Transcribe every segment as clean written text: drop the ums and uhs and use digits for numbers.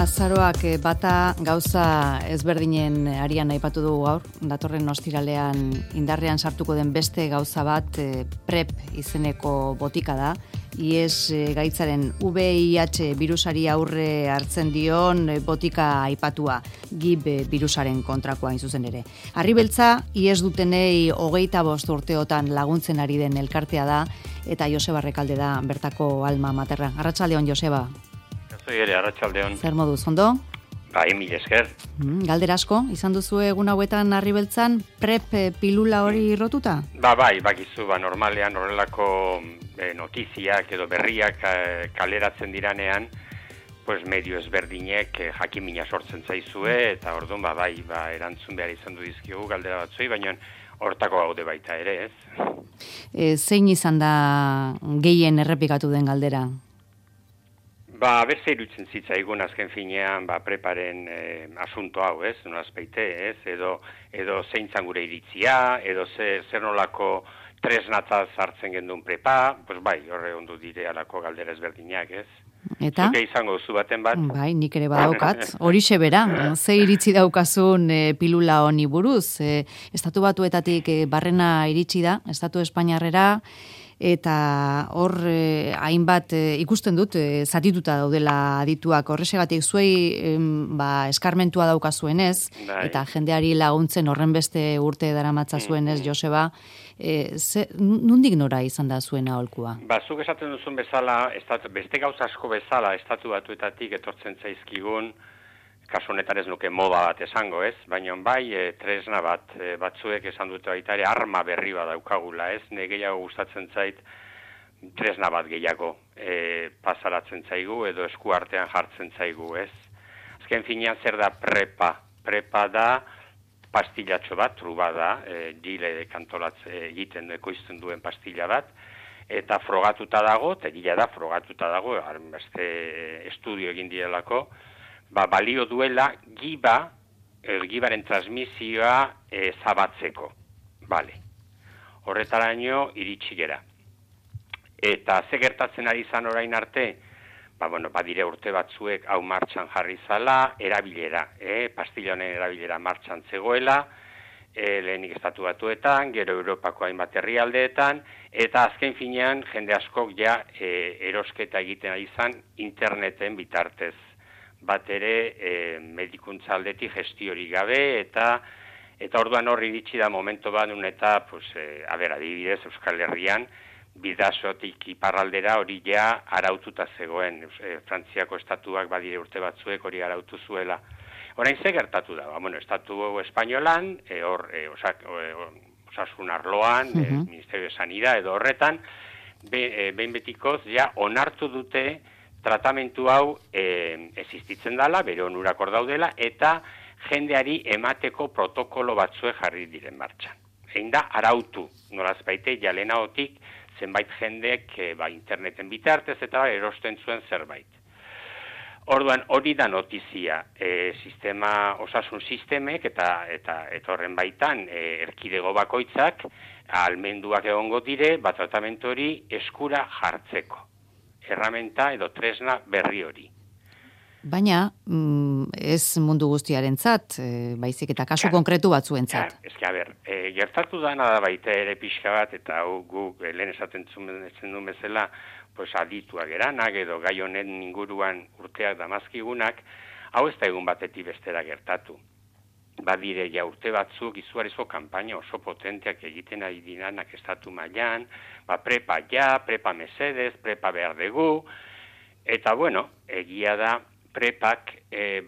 Azaroak bata gauza ezberdinen arian aipatu dugu gaur, datorren ostiralean indarrean sartuko den beste gauza bat PrEP izeneko botika da. IES gaitzaren VIH birusari aurre hartzen dion botika aipatua, GIB birusaren kontrakoa hain zuzen ere. Arribeltza, IES dutenei 25 urteotan laguntzen ari den elkartea da, eta Joseba Rekalde da bertako alma materra. Arratsaldeon, Joseba. Zoi ere, arratsaldeon. Zer moduz, ondo? Bai, mil esker. Galdera asko, izan duzu egun hauetan Arribeltzan PrEP pilula hori rotuta? Bai, bakizu, normalean horrelako notiziak edo berriak kaleratzen diranean, pues medio ezberdinek jakimina sortzen zaizue, eta orduan bai, erantzun behar izan du dizkigu galdera batzui, baina hortako gaude baita ere, ez? Zein izan da gehien errepikatu den galdera? Beste irutzen zitzaigun azken finean, PrEParen asunto hau, ez? Nolazpeite, ez? Edo zein zan gure iritzia, edo zer nolako tresnatzaz hartzen gendun PrEPa, pues bai, horre ondu dire alako galdera ezberdinak, ez? Eta? Zuke izango zu baten bat? Bai, nik ere badaukat. Horixe bera, ze iritzi daukazun pilula honi buruz. Estatu Batuetatik barrena iritsi da, Estatu Espainiarrera, eta hor hainbat ikusten dut zatituta daudela adituak horrexegatik zuei eskarmentua daukazuenez eta jendeari laguntzen horren beste urte daramatza zuenez Joseba, nondik nora izan da zuen aholkua? Zuk esaten duzun bezala, beste gauza asko bezala Estatu Batuetatik etortzen zaizkigun, kasu honetan ez nuke moda bat esango, ez? Baina bai, tresna batzuek esan dute baita ere arma berri bat daukagula, ez? Ne gehiago gustatzen zait tresna bat gehiago pasaratzen zaigu edo esku artean jartzen zaigu, ez? Azken finean zer da PrEPa? PrEPa da pastillatxo bat, truba da, gile kantolatze egiten ekoizten duen pastilla bat, eta frogatuta dago, eta gila da frogatuta dago, beste estudio egin direlako, balio duela gibaren transmisioa zabatzeko. Bale. Horretaraino iritsi gera. Eta ze gertatzen ari izan orain arte, badire urte batzuek hau martxan jarri zala, erabilera, pastilla honen erabilera martxan zegoela, lehenik Estatu Batuetan, gero Europako hainbat herrialdeetan, eta azken finean jende askok ja erosketa egiten ari izan interneten bitartez. Bat ere medikuntza aldetik gestiori gabe, eta orduan horri iritsi da momento bat nun eta, adibidez, Euskal Herrian, Bidasotik iparraldera hori ja araututa zegoen. Frantziako estatuak badire urte batzuek hori arautu zuela. Orain ze gertatu da? Estatu espainolan, osasun arloan, Ministerio de Sanidad edo horretan, behin betikoz ja onartu dute tratamentu hau existitzen dela, bere onurak hor daudela, eta jendeari emateko protokolo batzue jarri diren martxan. Egin da, arautu, nolazbaite, jalenaotik zenbait jendek interneten bitartez eta erosten zuen zerbait. Orduan, hori da notizia, osasun sistemek eta horren baitan erkidego bakoitzak almenduak egongo dire, tratamentu hori eskura jartzeko. Erramenta edo tresna berri hori. Baina, ez mundu guztiarentzat, baizik eta kasu konkretu batzuentzat. Gertatu dana da baita ere pixka bat, eta guk lehen esaten duen bezala, adituak eranak edo gai honen inguruan urteak damazkigunak, hau ez da egun batetik bestera gertatu. Badire ja urte batzuk izugarrizko kanpaina oso potenteak egiten ari diranak estatu mailan, PrEPa PrEPa mesedez, PrEPa behar dugu, eta egia da PrEPak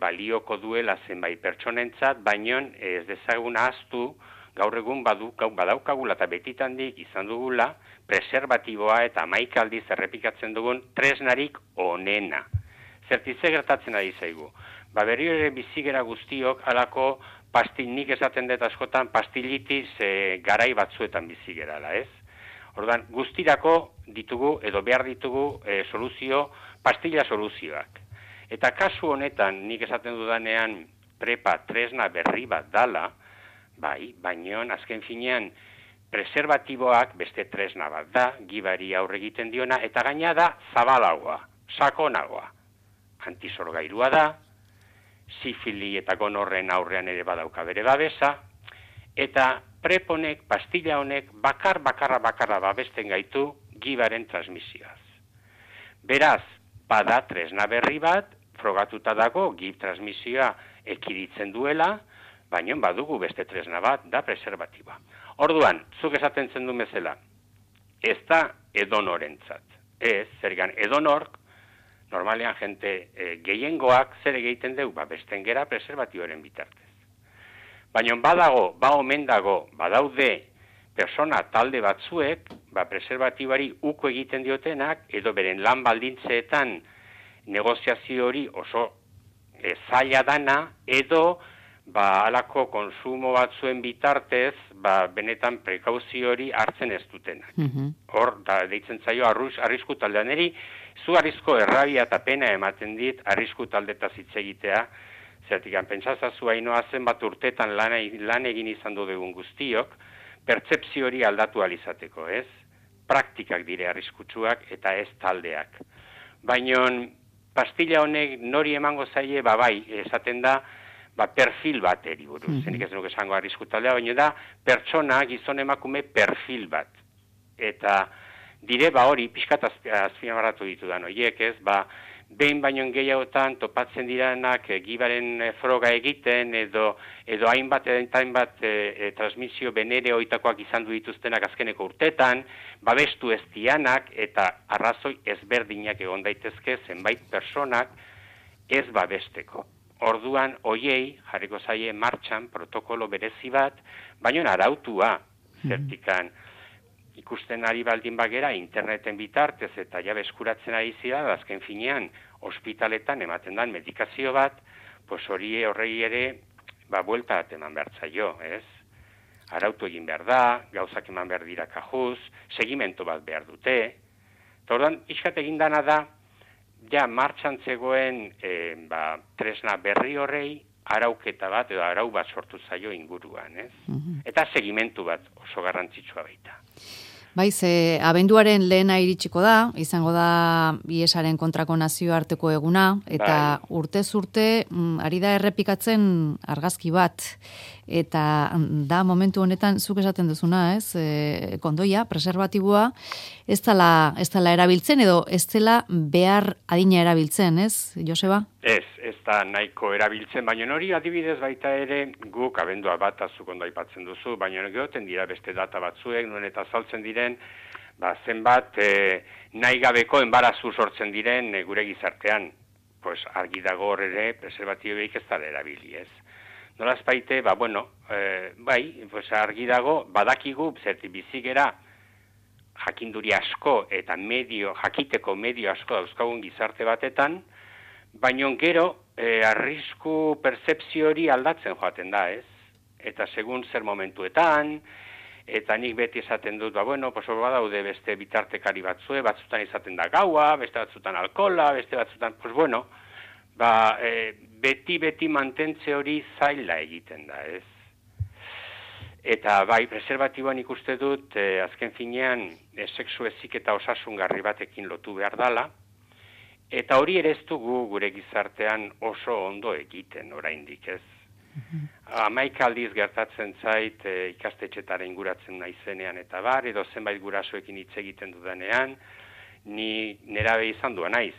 balioko duela zenbait pertsonentzat, baino ez dezagun ahaztu gaur egun badaukagula eta betitandik izan dugula preserbatiboa eta 11 aldiz errepikatzen dugun tresnarik onena. Zertize gertatzen ari zaigu. Berriro ere bizigera guztiok alako nik esaten dut askotan pastilitis garai batzuetan bizigerala, ez? Orduan, guztirako ditugu edo behar ditugu pastilla soluzioak. Eta kasu honetan, nik esaten dudanean PrEPa tresna berri bat dala, baino azken finean preserbatiboak beste tresna bat da, gibari aurre egiten diona, eta gaina da zabalagoa, sakonagoa. Antisorgairua da, sifili eta gonorren aurrean ere badauka bere babesa, eta PrEP honek, pastilla honek, bakarra babesten gaitu gibaren transmisioaz. Beraz, bada tresna berri bat, frogatuta dago gib transmisioa ekiditzen duela, baina badugu beste tresna bat, da preservatiba. Orduan, zuk esaten zen du bezala, ez da edonorentzat. Ez, zergan edonork, normalean jente gehiengoak zer egiten dugu, besten gera preservatibaren bitartez. Baina omen dago, badaude persona talde batzuek, preservatibari uko egiten diotenak, edo beren lan baldintzeetan negoziazio hori oso zaila dana, edo halako konsumo batzuen bitartez, benetan prekauzio hori hartzen ez dutenak. Hor, deitzen zaio arrisku taldean eri, zu arrizko errabia eta pena ematen dit arrisku taldetaz hitz egitea, zertik pentsazazu hainoa zenbat urtetan lan egin izan dugun guztiok, pertsepzio hori aldatu alizateko, ez? Praktikak dire arriskutsuak eta ez taldeak. Baina pastilla honek nori emango zaie, bai, esaten da, perfil bat eri buruz. Zenik ez nuke esango arrisku taldea, baina da, pertsona, gizon emakume perfil bat. Eta dire, hori, pixkat azpimarratu ditudan, oiek ez, behin baino gehiagotan topatzen diranak gibaren froga egiten edo hainbat transmisio benere oitakoak izan du dituztenak azkeneko urtetan, babestu ez dianak eta arrazoi ezberdinak egon daitezke zenbait personak ez babesteko. Orduan, hoiei jarriko zaie martxan protokolo berezi bat, baino arautua zertikan. Ikusten ari baldin bagera interneten bitartez eta jabe eskuratzen ari zira, azken finean ospitaletan ematen dan medikazio bat, horrei ere, buelta bat eman behar zaio, ez? Arautu egin behar da, gauzak eman behar dira kajuz, segimento bat behar dute. Orduan, iskat egin dana da, ja martxan zegoen tresna berri horrei, arauketa bat edo arau bat sortu zaio inguruan, ez? Eta segimentu bat oso garrantzitsua baita. Baiz, abenduaren lehena iritsiko da, izango da IESaren kontrako nazioarteko eguna, eta urtez urte ari da errepikatzen argazki bat, eta da momentu honetan zuk esaten duzuna, ez? Kondoia, preservatiboa, ez dela erabiltzen edo ez dela behar adina erabiltzen, ez, Joseba? Ez da nahiko erabiltzen, baina hori adibidez baita ere guk abendua bat azuk ondo aipatzen duzu, baina geoten dira beste data batzuek, nuen eta saltzen diren, zenbat nahi gabeko enbarazu sortzen diren gure gizartean. Argi dago hor ere, preservatiboik ez dara erabili, ez? Nolaz baite, argi dago, badakigu, zerti bizigera, jakinduri asko eta jakiteko medio asko dauzkagun gizarte batetan, baina gero, arrisku percepzio hori aldatzen joaten da, ez? Eta segun zer momentuetan, eta nik beti esaten dut, badaude beste bitartekari batzue, batzutan izaten da gaua, beste batzutan alkohola, beste batzutan, beti mantentze hori zaila egiten da, ez? Eta preservatiboan ikuste dut, azken finean, sexu ezik eta osasungarri batekin lotu behar dala, eta hori ere ez dugu gure gizartean oso ondo egiten oraindik, ez? 11 aldiz gertatzen zait ikastetxetara inguratzen naizenean eta edo zenbait gurasoekin hitz egiten dudanean, ni nerabe izan duan naiz.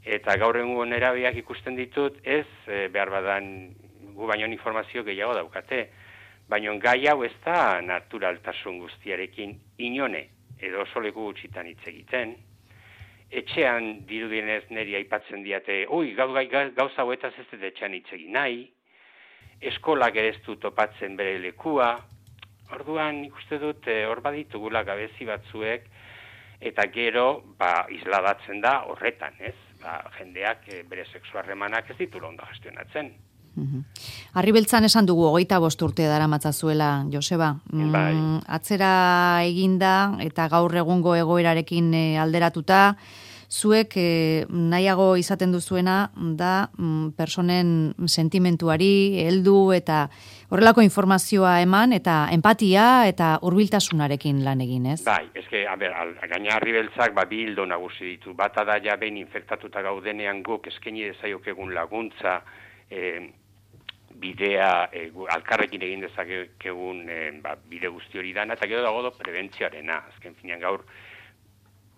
Eta gaur egungo nerabeak ikusten ditut, ez behar badan gu baino informazio gehiago daukate. Baina gai hau ez da naturaltasun guztiarekin inone, edo oso leku gutxitan hitz egiten. Etxean dirudienez niri aipatzen diate, gauza hauetaz ez dut etxean hitz egin nahi, eskolak ere ez du topatzen bere lekua. Orduan ikuste dut hor baditugula gabezi batzuek, eta gero isladatzen da horretan, ez? Jendeak bere sexu harremanak ez ditula ondo gestionatzen. Arribeltzan esan dugu 25 urte daramatzazuela, Joseba. Atzera eginda eta gaur egungo egoerarekin alderatuta, zuek nahiago izaten duzuena da personen sentimentuari heldu eta horrelako informazioa eman eta empatia eta hurbiltasunarekin lan egin, ez? Eske, gaina Arribeltzak bi ildo nagusi ditu. Bata da ja behin infektatuta gaudenean guk eskaini dezaiokegun laguntza bidea alkarrekin egin dezakegun bide guzti hori dana, eta gero dago prebentzioarena. Azken finean gaur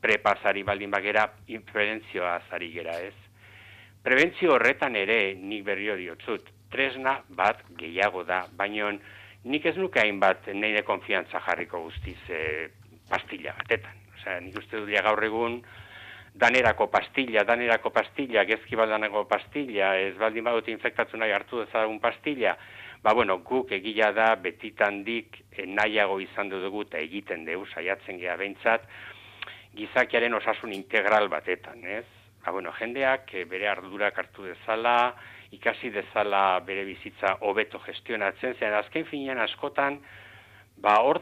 prepasari baldin bagera, prebentzioa azari gera ez. Prebentzio horretan ere nik berrio diotzut, tresna bat gehiago da, baina nik ez nuke hainbat nire konfiantza jarriko guztiz pastilla batetan. Osea, nik uste dut gaur egun danerako pastilla, gezki baldaneko pastilla, ez baldin badut infektatu nahi hartu dezagun pastilla, guk egila da betitandik nahiago izan dugu eta egiten dugu saiatzen geha behintzat, gizakiaren osasun integral batetan, ez? Jendeak bere ardurak hartu dezala, ikasi dezala bere bizitza hobeto gestionatzen, zen azken finean askotan, hor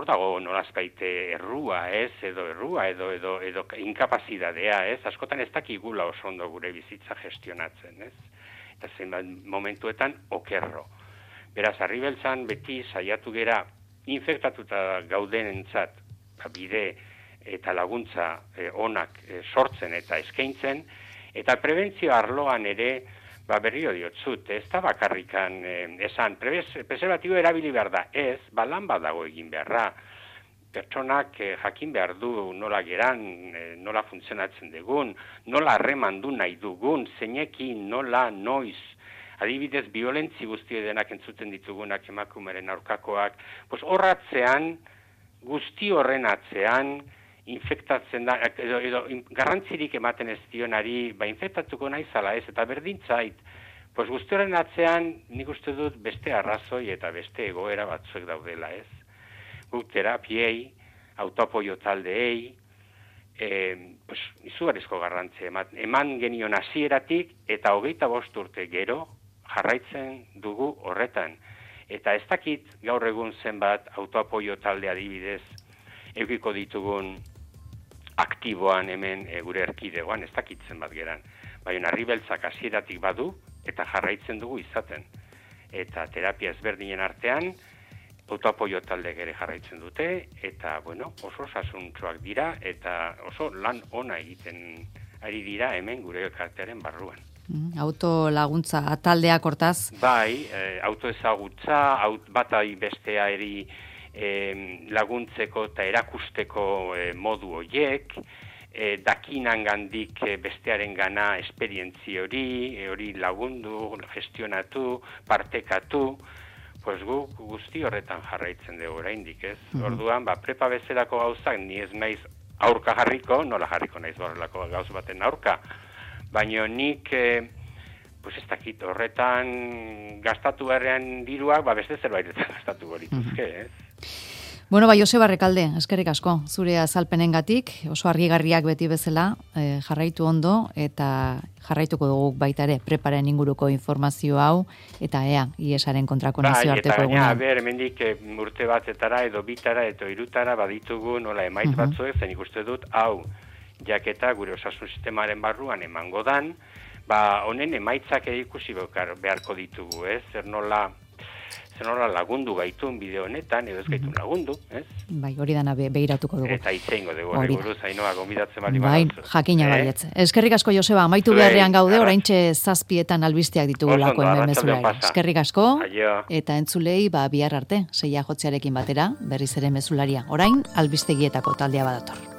dago nolazbaite errua, ez, edo inkapazidadea, ez, askotan ez dakigula oso ondo gure bizitza gestionatzen, ez, eta zenbat momentuetan okerro. Beraz, Arribeltzan beti saiatu gera infektatuta gaudenentzat bide eta laguntza onak sortzen eta eskaintzen, eta prebentzio arloan ere berrio diotzut, ez da bakarrikan esan, preservatibo erabili behar da, ez, lan bat dago egin beharra. Pertsonak jakin behar du nola geran, nola funtzionatzen dugun, nola harreman du nahi dugun, zeinekin, nola, noiz. Adibidez, biolentzi guzti denak entzuten ditugunak emakumeren aurkakoak, horratzean, guzti horren atzean, infektatzen da, edo garrantzirik ematen ez dionari, infektatuko naizala ez, eta berdintzait, guzti horren atzean nik uste dut beste arrazoi eta beste egoera batzuek daudela ez. Guk terapiei, autoapoio taldeei, izugarrizko garrantzia eman genion hasieratik eta 25 urte gero jarraitzen dugu horretan. Eta ez dakit gaur egun zenbat autoapoio talde adibidez eukiko ditugun aktiboan hemen gure erkidegoan, ez dakitzen bat geran. Baina Arribeltzak hasieratik badu eta jarraitzen dugu izaten. Eta terapia ezberdinen artean, autoapoio talde ere jarraitzen dute, eta oso osasuntsuak dira, eta oso lan ona egiten ari dira hemen gure elkartearen barruan. Autolaguntza taldeak hortaz? Bai, autoezagutza, batai bestea eri laguntzeko eta erakusteko modu horiek, dakinangandik bestearen gana esperientzi hori lagundu, gestionatu, partekatu, guk guzti horretan jarraitzen dugu oraindik, ez? Orduan, prepa bezalako gauzak, ni ez naiz aurka jarriko, nola jarriko naiz horrelako gauz baten aurka, baina nik ez dakit horretan gastatu beharrean diruak, beste zerbairetan gastatu gorituzke, ez? Joseba Rekalde, eskerrik asko, zure azalpenengatik, oso argigarriak beti bezala, jarraitu ondo, eta jarraituko dugu baita ere, preparen inguruko informazio hau, eta IESaren kontrako nazioarteko eguna. Eta hemendik urte batetara, edo bitara, edo irutara, baditugu, nola emaitz batzuek, zen ikuste dut, hau, jaketa gure osasun sistemaren barruan emango dan, honen emaitzak ikusi beharko ditugu, ez? Zer nola lagundu gaitun bideo honetan, edo ez gaitun lagundu, ez? Bai, hori dana behiratuko dugu. Eta itzeingo dugu, hori buruz, Ainoa, gomidatzen bali bai, jakina baietz. Eskerrik asko, Joseba, amaitu beharrean gaude, oraintxe 7etan albisteak ditugulako hemen mezulari. Eskerrik asko, eta entzulei, bihar arte, 6 jotzearekin batera, berriz ere mezularia. Orain, albistegietako taldea badator.